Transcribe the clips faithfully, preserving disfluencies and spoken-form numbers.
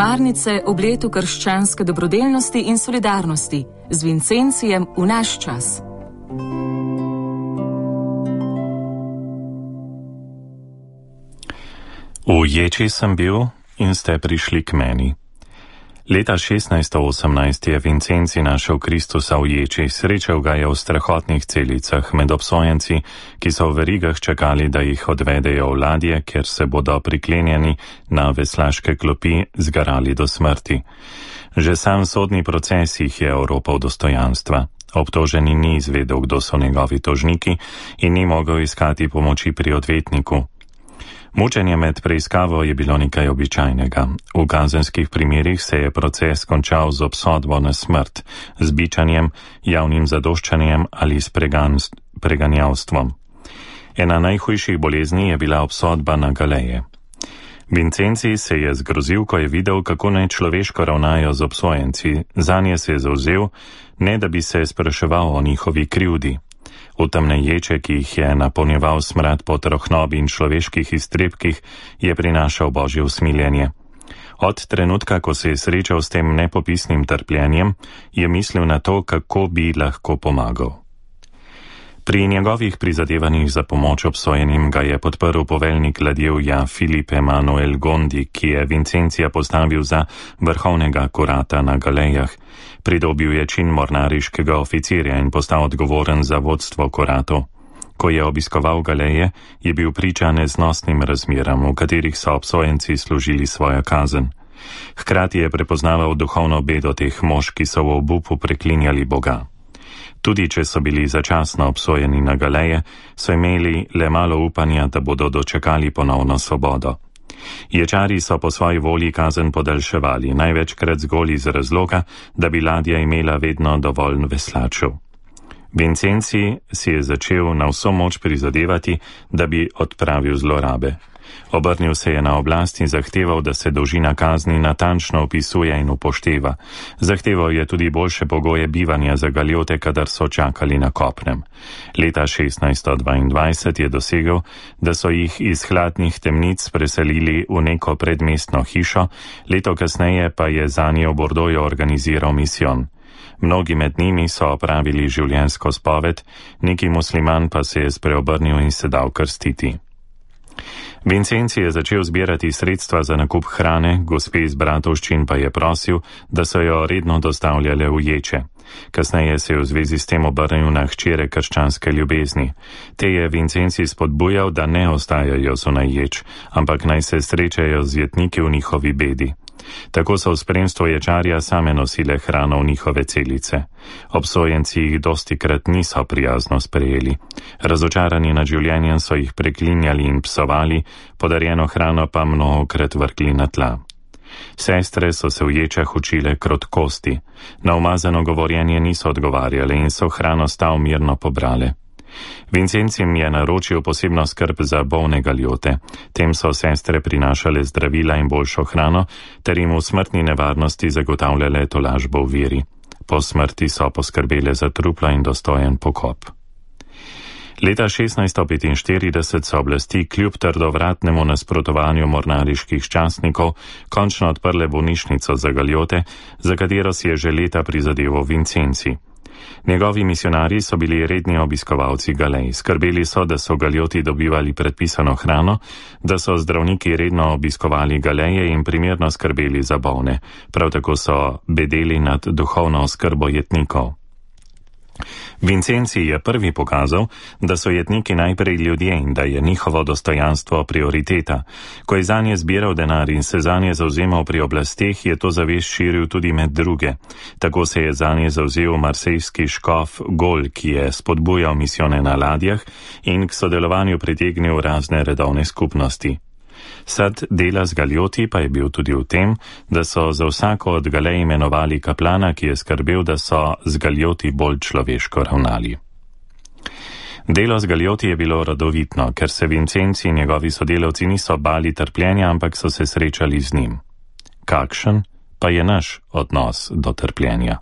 Šmarnice ob letu krščanske dobrodelnosti in solidarnosti z Vincencijem v naš čas. V Ječi sem bil in ste prišli k meni. Leta šestnajststo osemnajst je Vincenci našel Kristusa v Ječi, srečal ga je v strahotnih celicah med obsojenci, ki so v verigah čakali, da jih odvedejo v ladje, ker se bodo priklenjeni na veslaške klopi zgarali do smrti. Že sam sodni proces jih je oropal dostojanstva. Obtoženi ni izvedel, kdo so njegovi tožniki in ni mogel iskati pomoči pri odvetniku. Mučenje med preiskavo je bilo nekaj običajnega. V kazenskih primerih se je proces končal z obsodbo na smrt, z bičanjem, javnim zadoščanjem ali s preganjavstvom. Ena najhujših bolezni je bila obsodba na galeje. Vincenci se je zgrozil, ko je videl, kako nečloveško ravnajo z obsojenci. Zanje se je zavzel, ne da bi se spraševal o njihovi krivdi. V temne ječe, ki jih je napolnjeval smrad po trohnobi in človeških iztrebkih, je prinašal Božje usmiljenje. Od trenutka, ko se je srečal s tem nepopisnim trpljenjem, je mislil na to, kako bi lahko pomagal. Pri njegovih prizadevanjih za pomoč obsojenim ga je podprl poveljnik ladjevja Filip Emanuel Gondi, ki je Vincencija postavil za vrhovnega kurata na galejah. Pridobil je čin mornariškega oficirja in postal odgovoren za vodstvo kuratov. Ko je obiskoval galeje, je bil priča neznosnim razmeram, v katerih so obsojenci služili svojo kazen. Hkrati je prepoznaval duhovno bedo teh mož, ki so v obupu preklinjali Boga. Tudi če so bili začasno obsojeni na galeje, so imeli le malo upanja, da bodo dočakali ponovno svobodo. Ječari so po svoji volji kazen podaljševali, največkrat zgolj iz razloga, da bi ladja imela vedno dovolj veslačev. Vincenci si je začel na vso moč prizadevati, da bi odpravil zlorabe. Obrnil se je na oblast in zahteval, da se dolžina kazni natančno opisuje in upošteva. Zahteval je tudi boljše pogoje bivanja za galjote, kadar so čakali na kopnem. Leta šestnajststo dvaindvajset je dosegel, da so jih iz hladnih temnic preselili v neko predmestno hišo, leto kasneje pa je zanje v Bordoju organiziral misijon. Mnogi med njimi so opravili življenjsko spoved, neki musliman pa se je spreobrnil in se dal krstiti. Vincenci je začel zbirati sredstva za nakup hrane, gospe iz bratovščin pa je prosil, da so jo redno dostavljale v Ječe. Kasneje se je v zvezi s tem obrnil na hčere krščanske ljubezni. Te je Vincenci spodbujal, da ne ostajajo zunaj Ječ, ampak naj se srečajo z jetniki v njihovi bedi. Tako so v spremstvu ječarja same nosile hrano v njihove celice. Obsojenci jih dostikrat niso prijazno sprejeli. Razočarani nad življenjem so jih preklinjali in psovali, podarjeno hrano pa mnogokrat vrgli na tla. Sestre so se v ječah učile krotkosti. Na umazano govorjenje niso odgovarjale in so hrano stav mirno pobrale. Vincencim je naročil posebno skrb za bolne galjote. Tem so sestre prinašale zdravila in boljšo hrano, ter jim v smrtni nevarnosti zagotavljale tolažbo v veri. Po smrti so poskrbele za trupla in dostojen pokop. Leta šestnajststo petinštirideset so oblasti kljub trdovratnemu nasprotovanju mornariških častnikov končno odprle bolnišnico za galjote, za katero si je že leta prizadeval Vincenci. Njegovi misionarji so bili redni obiskovalci galej. Skrbeli so, da so galjoti dobivali predpisano hrano, da so zdravniki redno obiskovali galeje in primerno skrbeli za bolne. Prav tako so bedeli nad duhovno oskrbo jetnikov. Vincenci je prvi pokazal, da so jetniki najprej ljudje in da je njihovo dostojanstvo prioriteta. Ko je zanje zbiral denar in se zanje zauzemal pri oblasteh, je to zavest širil tudi med druge. Tako se je zanje zauzel marsejski škof Gol, ki je spodbujal misijone na ladjah in k sodelovanju pritegnil razne redovne skupnosti. Sad dela z galjoti pa je bil tudi v tem, da so za vsako od galej imenovali kaplana, ki je skrbel, da so z galjoti bolj človeško ravnali. Delo z galjoti je bilo rodovitno, ker se Vincenci in njegovi sodelavci niso bali trpljenja, ampak so se srečali z njim. Kakšen pa je naš odnos do trpljenja?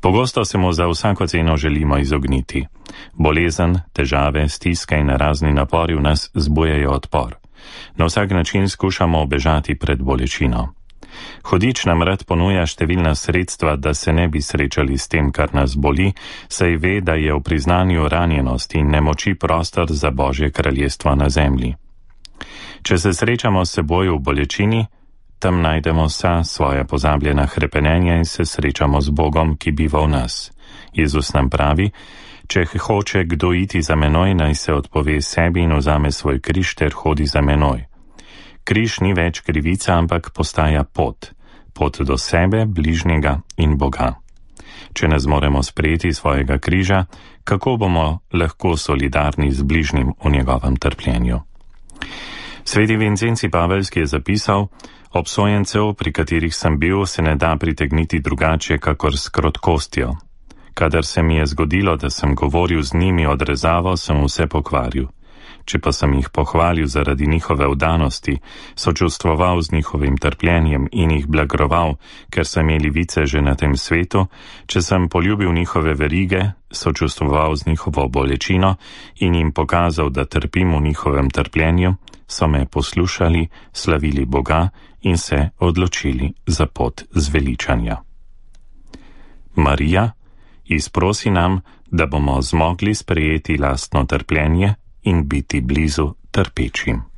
Pogosto se mu za vsako ceno želimo izogniti. Bolezen, težave, stiske in razni napori v nas zbujajo odpor. Na vsak način skušamo obežati pred bolečino. Hudič nam rad ponuja številna sredstva, da se ne bi srečali s tem, kar nas boli, saj ve, da je v priznanju ranjenosti in nemoči prostor za Božje kraljestvo na zemlji. Če se srečamo s seboj v bolečini, tam najdemo vsa svoja pozabljena hrepenenja in se srečamo z Bogom, ki biva v nas. Jezus nam pravi, če hoče kdo iti za menoj, naj se odpove sebi in vzame svoj križ ter hodi za menoj. Križ ni več krivica, ampak postaja pot. Pot do sebe, bližnjega in Boga. Če ne zmoremo sprejeti svojega križa, kako bomo lahko solidarni z bližnjim v njegovem trpljenju? Sveti Vincenci Paveljski je zapisal, obsojencev, pri katerih sem bil, se ne da pritegniti drugače, kakor s krotkostjo. Kadar se mi je zgodilo, da sem govoril z njimi odrezavo, sem vse pokvaril. Če pa sem jih pohvalil zaradi njihove vdanosti, sočustvoval z njihovim trpljenjem in jih blagoval, ker so imeli vice že na tem svetu, če sem poljubil njihove verige, sočustvoval z njihovo bolečino in jim pokazal, da trpim v njihovem trpljenju, so me poslušali, slavili Boga in se odločili za pot zveličanja. Marija, izprosi nam, da bomo zmogli sprejeti lastno trpljenje in biti blizu trpečim.